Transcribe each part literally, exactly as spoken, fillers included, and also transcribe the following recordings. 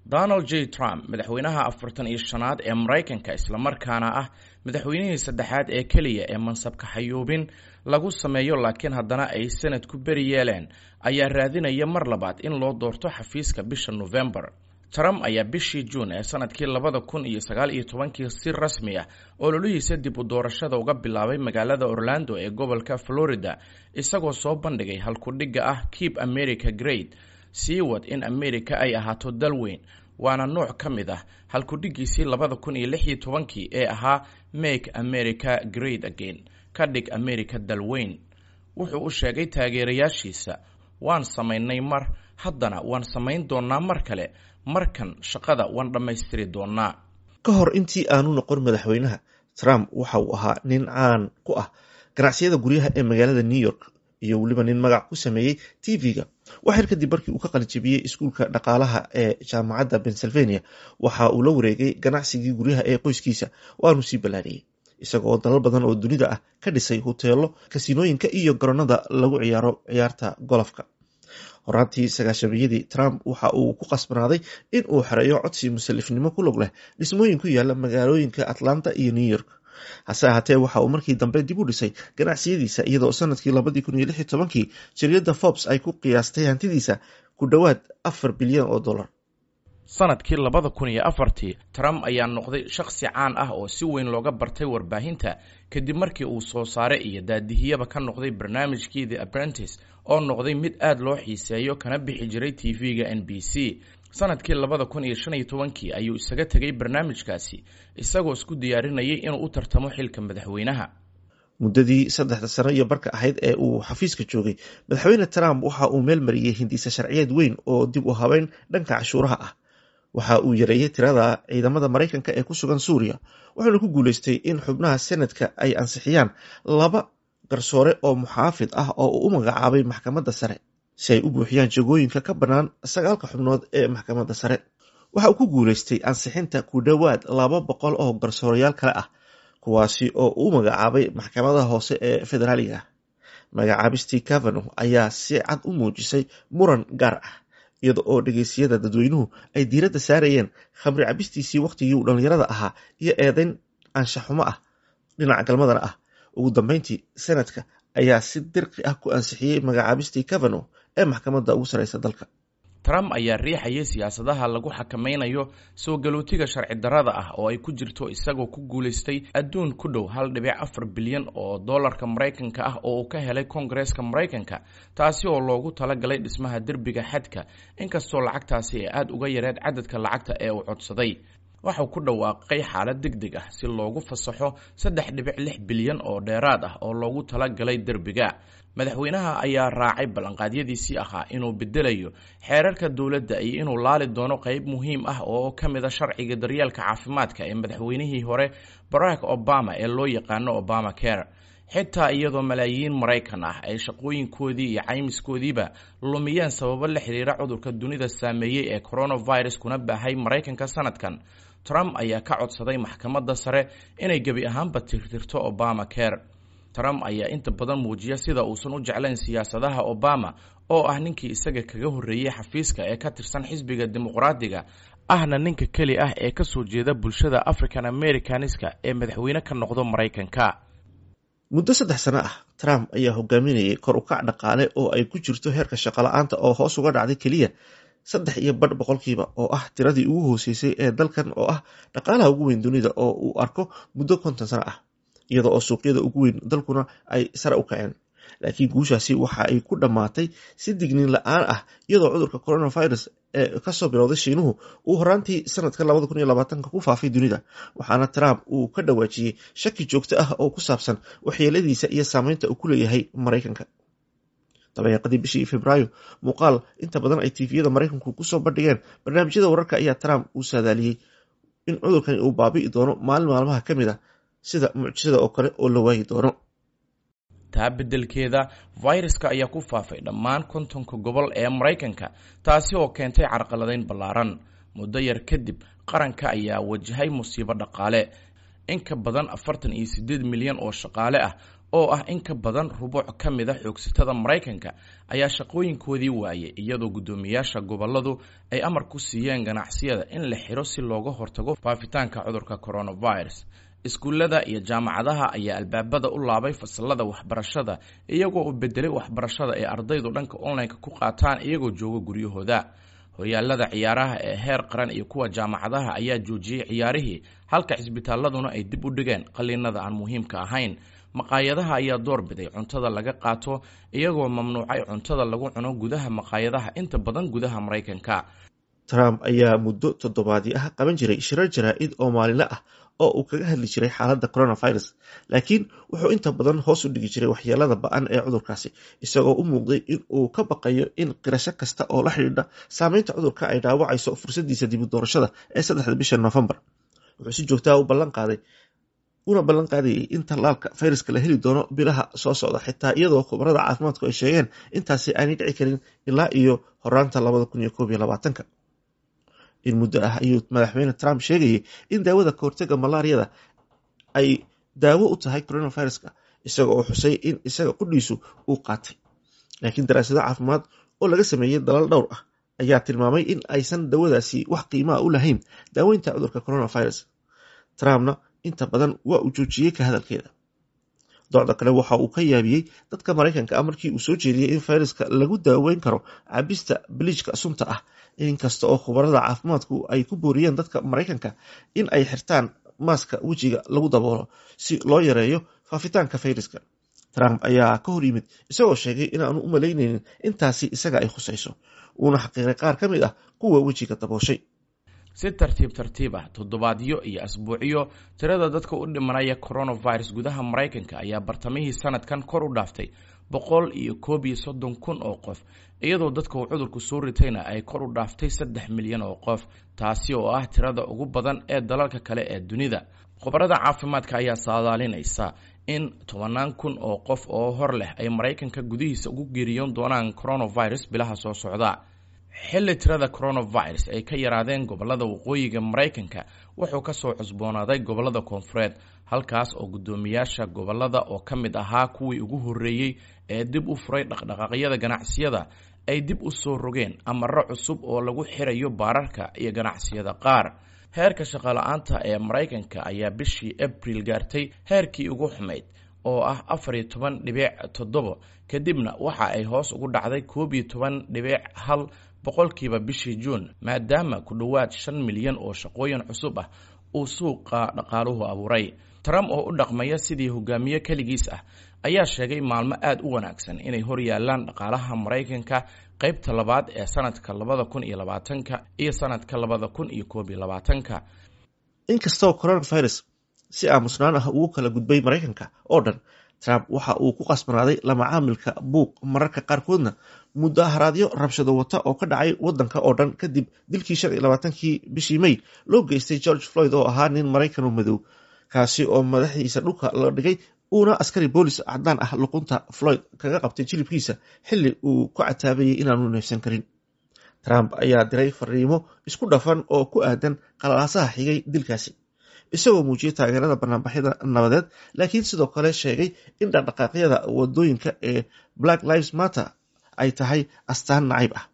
Donald J Trump, madaxweynaha afartan iyo shanaad ee Maraykanka, islamarkaana ah madaxweynihii saddexaad ee keliya ee mansabka xayuubin lagu sameeyo laakiin haddana ay sanad ku beri yeeleen, ayaa raadinaya mar labaad in loo doorto xafiiska bisha November. Trump ayaa bishii Juun ee sanadkii labada kun iyo sagaal iyo tobankii si rasmi ah ololihiisa dib u doorashada uga bilaabay magaalada Orlando ee gobolka Florida, isagoo soo bandhigay halkudhigga ah "Keep America Great", sii wad in America ay ahaato dal weyn, waana nooc ka mid ah halkudhiggiisii labada kun iyo lix iyo tobankii ee ahaa "Make America Great Again", ka dhig America dal weyn. Wuxuu u sheegay taageerayaashiisa, "Waan samaynay mar, haddana waan samayn doonnaa mar kale, markan shaqada waan dhammaystiri doonnaa." Ka hor intii aanu noqon madaxweynaha, Trump waxa uu ahaa nin caan ku ah ganacsiyada guryaha ee magaalada New York iyo weliba nin magac ku sameeyey T V-ga. Waxyar kadib markii uu ka qalinjabiyey iskuulka dhaqaalaha ee jaamacadda Pennsylvania, waxa uu la wareegay ganacsigii guryaha ee qoyskiisa, waanu sii ballaariyey, isagoo dalal badan oo dunida ah ka dhisay huteelo, kasiinooyinka iyo garoonada lagu ciyaaro ciyaarta golofka. Horaantii sagaashamiyadii, Trump waxa uu ku qasbanaaday in uu xereeyo codsi musalifnimo ku lug leh dhismooyin ku yaala magaalooyinka Atlanta iyo New York. Hase ahaatee, waxa uu markii dambe dib u dhisay ganacsiyadiisa, iyadoo sanadkii labadii kun iyo lix iyo tobankii jariyadda Forbes ay ku qiyaastay hantidiisa ku dhowaad afar bilyan oo dollar. Sanadkii labada kun iyo afartii, Trump ayaa noqday shakhsi caan ah oo si weyn looga bartay warbaahinta kadib markii uu soo saare iyo daadihiyaba ka noqday barnaamijkii The Apprentice, oo noqday mid aad loo xiiseeyo kana bixi jiray T V-ga N B C. Sanadkii labada kun iyo shan iyo tobankii ayuu isaga tegay barnaamijkaasi, isagoo isku diyaarinayay inuu u tartamo xilka madaxweynaha. Muddadii saddexda sano iyo barka ahayd ee uu xafiiska joogay, madaxweyne Trump waxa uu meel mariyey hindisa sharciyeed weyn oo dib u habeyn dhanka cashuuraha ah. Waxa uu yareeyey tirada ciidamada Maraykanka ee ku sugan Suuriya, wuxuuna ku guuleystay in xubnaha Senadka ay ansixiyaan laba garsoore oo muxaafid ah oo uu u magacaabay maxkamadda sare si ay u buuxiyaan jagooyinka ka bannaan sagaalka xubnood ee maxkamadda sare. Waxa uu ku guuleystay ansixinta ku dhowaad laba boqol oo garsoorayaal kale ah, kuwaasi oo uu magacaabay maxkamadaha hoose ee federaaliga. Magacaabistii Kavanaugh ayaa si cad u muujisay muran gaar ah, iyada oo dhegeysiyada dadweynuhu ay diiradda saarayeen khamri cabistiisii wakhtigii uu dhallinyarada ahaa iyo eedeyn anshaxumo ah dhinaca galmadana ah. Ugu dambeyntii, Senadka ayaa si dirqi ah ku ansixiyey magacaabistii Kavanaugh ee maxkamadda ugu sareysa dalka. Trump ayaa riixayay siyaasadaha lagu xakameynayo soo galootiga sharci darrada ah, oo ay ku jirto isagoo ku guulaystay adduun ku dhow hal dhibic afar bilyan oo dollarka Maraykanka ah oo uu ka helay Koongareeska Maraykanka, taasi oo loogu talagalay dhismaha derbiga xadka, inkastoo lacagtaasi ay aada uga yareed cadadka lacagta ee uu codsaday. Waxau ku dhawaaqay xaalad deg deg ah si loogu fasaxo saddex dhibic lix bilyan oo dheeraad ah oo loogu talagalay derbiga. Madaxweynaha ayaa raacay ballanqaadyadiisii ahaa inuu bedelayo xeerarka dowladda iyo inuu laali doono qeyb muhiim ah oo ka mid a sharciga daryeelka caafimaadka ee madaxweynihii hore Barack Obama ee loo yaqaano Obama Care. Xitaa iyadoo malaayiin Maraykan ah ay shaqooyinkoodii iyo caymiskoodiiba lumiyeen sababo la xiriira cudurka dunida saameeyey ee coronavirus kuna baahay Maraykanka sanadkan, Trump ayaa ka codsaday maxkamadda sare inay gebi ahaanba tirtirto Obama Care. Trump ayaa inta badan muujiya sida uusan u jeclayn siyaasadaha Obama, oo ah ninkii isaga kaga horreeyey xafiiska ee ka tirsan xisbiga Dimuqraadiga, ahna ninka keli ah ee kasoo jeeda bulshada African Americaniska ee madaxweyne ka noqdo Maraykanka. Muddo saddex sano ah, Trump ayaa hogaaminayay kor u kac dhaqaale oo ay ku jirto heerka shaqo la'aanta oo hoos uga dhacday keliya saddex iyo badh boqolkiiba, oo ah tiradii ugu hooseysay ee dalkan oo ah dhaqaalaha ugu weyn dunida oo uu arko muddo konton sano ah, iyada oo suuqyada ugu weyn dalkuna ay sare u kaceen. Laakiin guushaasi waxa ay ku dhammaatay si digniin la'aan ah, iyadoo cudurka coronavirus ee kasoo bilowday Shiinuhu uu horaantii sanadka labada kun iyo labaatanka ku faafay dunida, waxaana Trump uu ka dhawaajiyey shaki joogto ah oo ku saabsan waxyeeladiisa iyo saameynta uu ku leeyahay Maraykanka. Dabayaaqadii bishii Febraayo, muuqaal inta badan ay T V-yada Maraykanku kusoo bandhigeen barnaamijyada wararka, ayaa Trump uu saadaaliyey in cudurkani uu baabi'i doono maalin maalmaha ka mid ah, sida mucjisada oo kale oo la waayi doono. Taa beddelkeeda, fayraska ayaa ku faafay dhammaan kontonka gobol ee Maraykanka, taasi oo keentay carqaladayn ballaaran. Muddo yar kadib, qaranka ayaa wajahay musiibo dhaqaale. In ka badan afartan iyo siddeed milyan oo shaqaale ah oo ah in ka badan rubuuc ka mid a xoogsatada Maraykanka ayaa shaqooyinkoodii waayay, iyadoo guddoomiyaasha gobolladu ay amar ku siiyeen ganacsiyada in la xiro si looga hortago faafitaanka cudurka coronavirus. Iskuullada iyo jaamacadaha ayaa albaabada u laabay fasalada waxbarashada, iyagoo u bedelay waxbarashada ay ardaydu dhanka online-ka ku qaataan iyagoo jooga guryahooda. Horyaalada ciyaaraha ee heer qaran iyo kuwa jaamacadaha ayaa joojiyey ciyaarihii, halka cisbitaaladuna ay dib u dhigeen qaliinada aan muhiimka ahayn. Maqaayadaha ayaa doorbiday cuntada laga qaato, iyagoo mamnuucay cuntada lagu cuno gudaha maqaayadaha inta badan gudaha Maraykanka. Trump ayaa muddo toddobaadii ah qaban jiray shirar jaraa'id oo maalinle ah oo uu kaga hadli jiray xaaladda coronavirus, laakiin wuxuu inta badan hoos u dhigi jiray waxyeelada ba'an ee cudurkaasi, isagoo u muuqday in uu ka baqayo in qirasho kasta oo la xidhiidha saameynta cudurka ay dhaawacayso fursaddiisa dib u doorashada ee saddexda bisha Noofembar. Wuxuu si joogtaa u ballan qaaday una ballan qaadayay in tallaalka fayraska la heli doono bilaha soo socda, xitaa iyadoo khubarada caafimaadku ay sheegeen intaasi aanay dhici karin ilaa iyo horaanta labada kun iyo koob iyo labaatanka. In muddo ah ayuu madaxweyne Trump sheegayay in daawada kahortaga malaariyada ay daawo u tahay coronaviruska, isaga oo xusay in isaga qudhiisu uu qaatay. Laakiin daraasado caafimaad oo laga sameeyey dalal dhowr ah ayaa tilmaamay in aysan dawadaasi wax qiimaa u lahayn daaweynta cudurka coronavirus. Trumpna inta badan waa uu joojiyey ka hadalkeeda. Docda kale waxa uu ka yaabiyey dadka Maraykanka ah markii uu soo jeediyey in fayraska lagu daaweyn karo cabista biliijka sunta ah, inkasta oo khubarada caafimaadku ay ku booriyeen dadka Maraykanka in ay xirtaan maaska wejiga lagu daboolo si loo yareeyo faafitaanka fayraska. Trump ayaa ka hor yimid isagoo sheegay inaanu u malaynaynin intaasi isaga ay khusayso, uuna xaqiiray qaar ka mid ah kuwa wejiga dabooshay. Si tartiib tartiib ah, toddobaadyo iyo asbuucyo, tirada dadka u dhimanaya coronavirus gudaha Maraykanka ayaa bartamihii sanadkan kor u dhaaftay boqol iyo koob iyo soddon kun oo qof, iyadoo dadka uu cudurku soo ritayna ay kor u dhaaftay saddex milyan oo qof, taasi oo ah tirada ugu badan ee dalalka kale ee dunida. Khubarada caafimaadka ayaa saadaalinaysa in tobanaan kun oo qof oo hor leh ay Maraykanka gudihiisa ugu geeriyoon doonaan coronavirus bilaha soo socda. Xilli tirada coronavirus ay ka yaraadeen gobollada waqooyiga Maraykanka, wuxuu ka soo cusboonaaday gobollada koonfureed, halkaas oo guddoomiyaasha gobollada oo ka mid ahaa kuwii ugu horreeyey ee dib u furay dhaqdhaqaaqyada ganacsiyada ay dib u soo rogeen amarro cusub oo lagu xirayo baararka iyo ganacsiyada qaar. Heerka shaqola-aanta ee Maraykanka ayaa bishii Abriil gaartay heerkii ugu xumayd oo ah afar iyo toban dhibic toddobo, kadibna waxa ay hoos ugu dhacday koob iyo toban dhibic hal boqolkiiba bishii Juun, maadaama ku dhowaad shan milyan oo shaqooyin cusub ah uu suuqa dhaqaaluhu abuuray. Trump oo u dhaqmaya sidii hogaamiye keligiis ah ayaa sheegay maalmo aada u wanaagsan inay hor yaalaan dhaqaalaha Maraykanka qaybta labaad ee sanadka labada kun iyo labaatanka iyo sanadka labada kun iyo koob iyo labaatanka. Inkastoo coronavirus si aamusnaan ah ugu kala gudbay Maraykanka oo dhan, Trump waxa uu ku qasbanaaday lamacaamilka buuq, mararka qaarkoodna mudaharaadyo rabshado wata oo ka dhacay wadanka oo dhan kadib dilkii shan iyo labaatankii bishii May loo geystay George Floyd oo ahaa nin Maraykan oo madow, kaasi oo madaxiisa dhulka la dhigay uuna askari boolis caddaan ah luqunta Floyd kaga qabtay jilibkiisa xilli uu ku cataabayay inaanu neefsan karin. Trump ayaa diray fariimo isku dhafan oo ku aadan qalalaasaha xigay dilkaasi, isagoo muujiyey taageerada banaanbaxyada nabadeed, laakiin sidoo kale sheegay in dhaqdhaqaaqyada wadooyinka ee Black Lives Matter ay tahay astaan nacayb ah.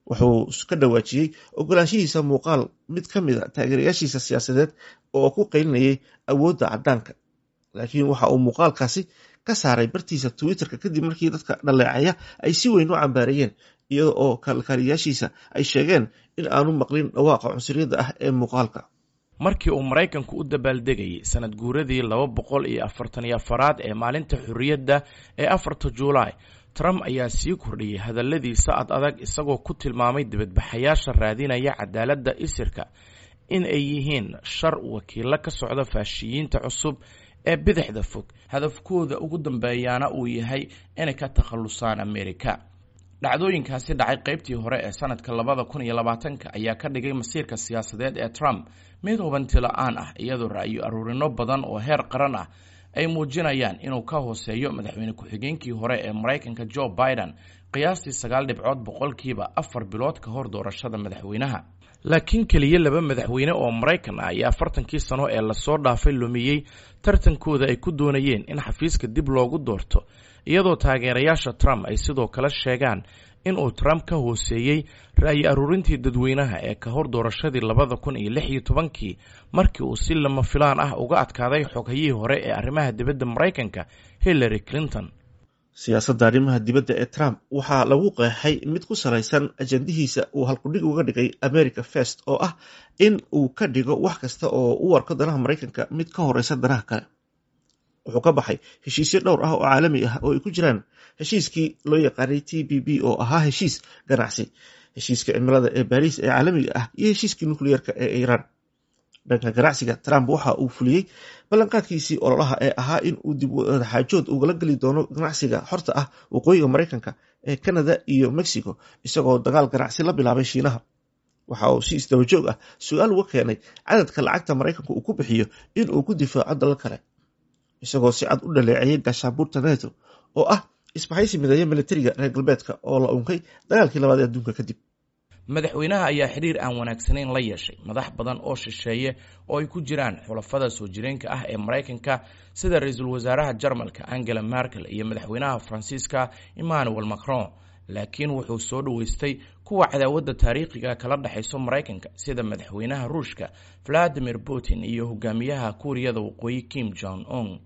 Wuxuu ka dhawaajiyey ogolaanshihiisa muuqaal mid ka mid a taageerayaashiisa siyaasadeed oo ku qaylinayay awoodda caddaanka, laakiin waxa uu muuqaalkaasi ka saaray bartiisa Twitterka kadib markii dadka dhaleecaya ay si weyn u cambaareeyeen, iyada oo kalkaaliyaashiisa ay sheegeen in aanu maqlin dhawaaqa cunsuriyadda ah ee muuqaalka. Markii uu Maraykanku u dabaaldegayay sanad guuradii laba boqol iyo afartan iyo afaraad ee maalinta xorriyadda ee afarta Juulaay, Trump ayaa sii kordhiyey hadalladiisa ad adag, isagoo ku tilmaamay dibadbaxayaasha raadinaya cadaaladda isirka in ay yihiin shar wakiilo ka socda faashiyiinta cusub ee bidixda fog, hadafkooda ugu dambeeyaana uu yahay inay ka takhallusaan Amerika. Dhacdooyinkaasi dhacay qaybtii hore ee sanadka labada kun iyo labaatanka ayaa ka dhigay masiirka siyaasadeed ee Trump mid hubanti la-aan ah, iyadoo ra'yo aruurino badan oo heer qaran ah ay muujinayaan inuu ka hooseeyo madaxweyne ku-xigeenkii hore ee Maraykanka Joe Biden qiyaastii sagaal dhibcood boqolkiiba afar bilood ka hor doorashada madaxweynaha. Laakiin keliya laba madaxweyne oo Maraykan ah ayaa afartankii sano ee lasoo dhaafay lumiyey tartankooda ay ku doonayeen in xafiiska dib loogu doorto, iyadoo taageerayaasha Trump ay sidoo kale sheegaan in uu Trump ka hooseeyey ra'yi aruurintii dadweynaha ee ka hor doorashadii labada kun iyo lix iyo tobankii, markii uu si lama filaan ah uga adkaaday xoghayihii hore ee arrimaha dibadda Maraykanka Hillary Clinton. Siyaasadda arrimaha dibadda ee Trump waxaa lagu qeexay mid ku salaysan ajandihiisa uu halkudhig uga dhigay America First, oo ah in uu ka dhigo wax kasta oo u arko danaha Maraykanka mid ka horeysa danaha kale. Wuxuu ka baxay heshiisyo dhowr ah oo caalami ah oo ay ku jiraan heshiiskii loo yaqaanay T P P oo ahaa heshiis ganacsi, heshiiska cimilada ee Baariis ee caalamiga ah iyo heshiiskii nukliyeerka ee Iiraan. Dhanka ganacsiga, Trump waxa uu fuliyey ballanqaadkiisii ololaha ee ahaa in uu dib wadaxaajood ugala geli doono ganacsiga xorta ah waqooyiga Maraykanka ee Canada iyo Mexico, isagoo dagaal ganacsi la bilaabay Shiinaha. Waxa uu si isdaba joog ah su-aal uga keenay cadadka lacagta Maraykanka uu ku bixiyo in uu ku difaaco dalal kale, isagoo si cad u dhaleeceeyay gaashaanbuurta NATO oo ah isbahaysi mideeya militariga reer galbeedka oo la unkay dagaalkii labaad ee adduunka kadib. Madaxweynaha ayaa xiriir aan wanaagsanayn la yeeshay madax badan oo shisheeye oo ay ku jiraan xulafada soo jireenka ah ee Maraykanka, sida ra-iisul wasaaraha Jarmalka Angela Merkel iyo madaxweynaha Faransiiska Emmanuel Macron, laakiin wuxuu soo dhoweystay kuwa cadaawadda taariikhiga kala dhexayso Maraykanka, sida madaxweynaha Ruushka Vladimir Putin iyo hogaamiyaha Kuuriyada Waqooyi Kim Jong Un.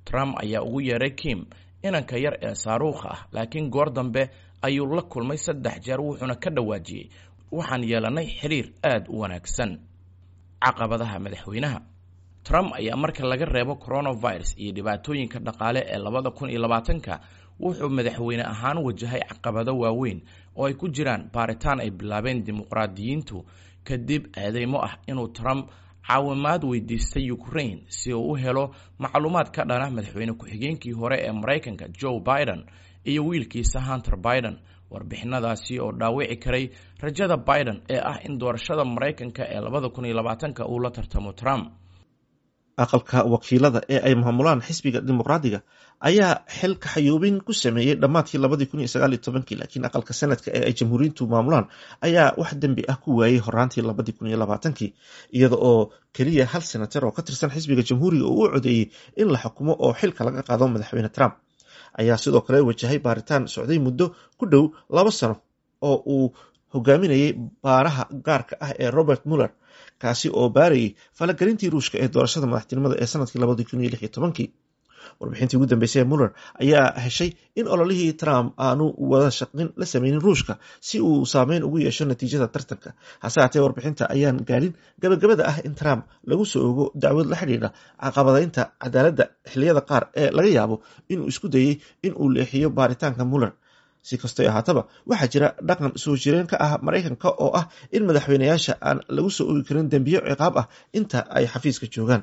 Trump ayaa ugu yeeray Kim inanka yar ee saaruukha ah, laakiin goor dambe ayuu la kulmay saddex jeer, wuxuuna ka dhawaajiyey waxaan yeelanay xiriir aada u wanaagsan. Caqabadaha madaxweynaha Trump ayaa marka laga reebo coronavirus iyo dhibaatooyinka dhaqaale ee labada kun iyo labaatanka, wuxuu madaxweyne ahaan wajahay caqabado waaweyn oo ay ku jiraan baaritaan ay bilaabeen dimuqraadiyiintu kadib eedeymo ah inuu Trump caawimaad weydiistay Ukraine si uu u helo macluumaad ka dhana madaxweyne ku-xigeenkii hore ee Maraykanka Joe Biden iyo wiilkiisa Hunter Biden, warbixinadaasi oo dhaawici karay rajada Biden ee ah in doorashada Maraykanka ee labada kun iyo labaatanka uu la tartamo Trump. Aqalka wakiilada ee ay maamulaan xisbiga Dimuqraadiga ayaa xil kaxayuubin ku sameeyey dhammaadkii labadii kun iyo sagaal iyo tobankii, laakiin aqalka Senadka ee ay Jamhuuriyiintu maamulaan ayaa wax dembi ah ku waayey horaantii labadii kun iyo labaatankii, iyada oo keliya hal senatar oo ka tirsan xisbiga Jamhuuriga uu u codeeyey in la xukumo oo xilka laga qaado. Madaxweyne Trump ayaa sidoo kale wajahay baaritaan socday muddo ku dhow laba sano oo uu hogaaminayay baaraha gaarka ah ee Robert Mueller, kaasi oo baarayay falagelintii Ruushka ee doorashada madaxtinimada ee sanadkii labadii kun iyo lix iyo tobankii. Warbixintii ugu dambeysay ee Mueller ayaa heshay in ololihii Trump aanu wada shaqin la sameynin Ruushka si uu saameyn ugu yeesho natiijada tartanka. Hase haatee, warbixinta ayaan gaadhin gabagabada ah in Trump lagu soo ogo dacwad la xidhiidha caqabadaynta cadaaladda xilliyada qaar ee laga yaabo inuu isku dayey in uu leexiyo baaritaanka Mueller. Si kastoy ahaataba, waxaa jira dhaqan soo jireen ka ah Maraykanka oo ah in madaxweyneyaasha aan lagu soo ogi karin dembiyo ciqaab ah inta ay xafiiska joogaan.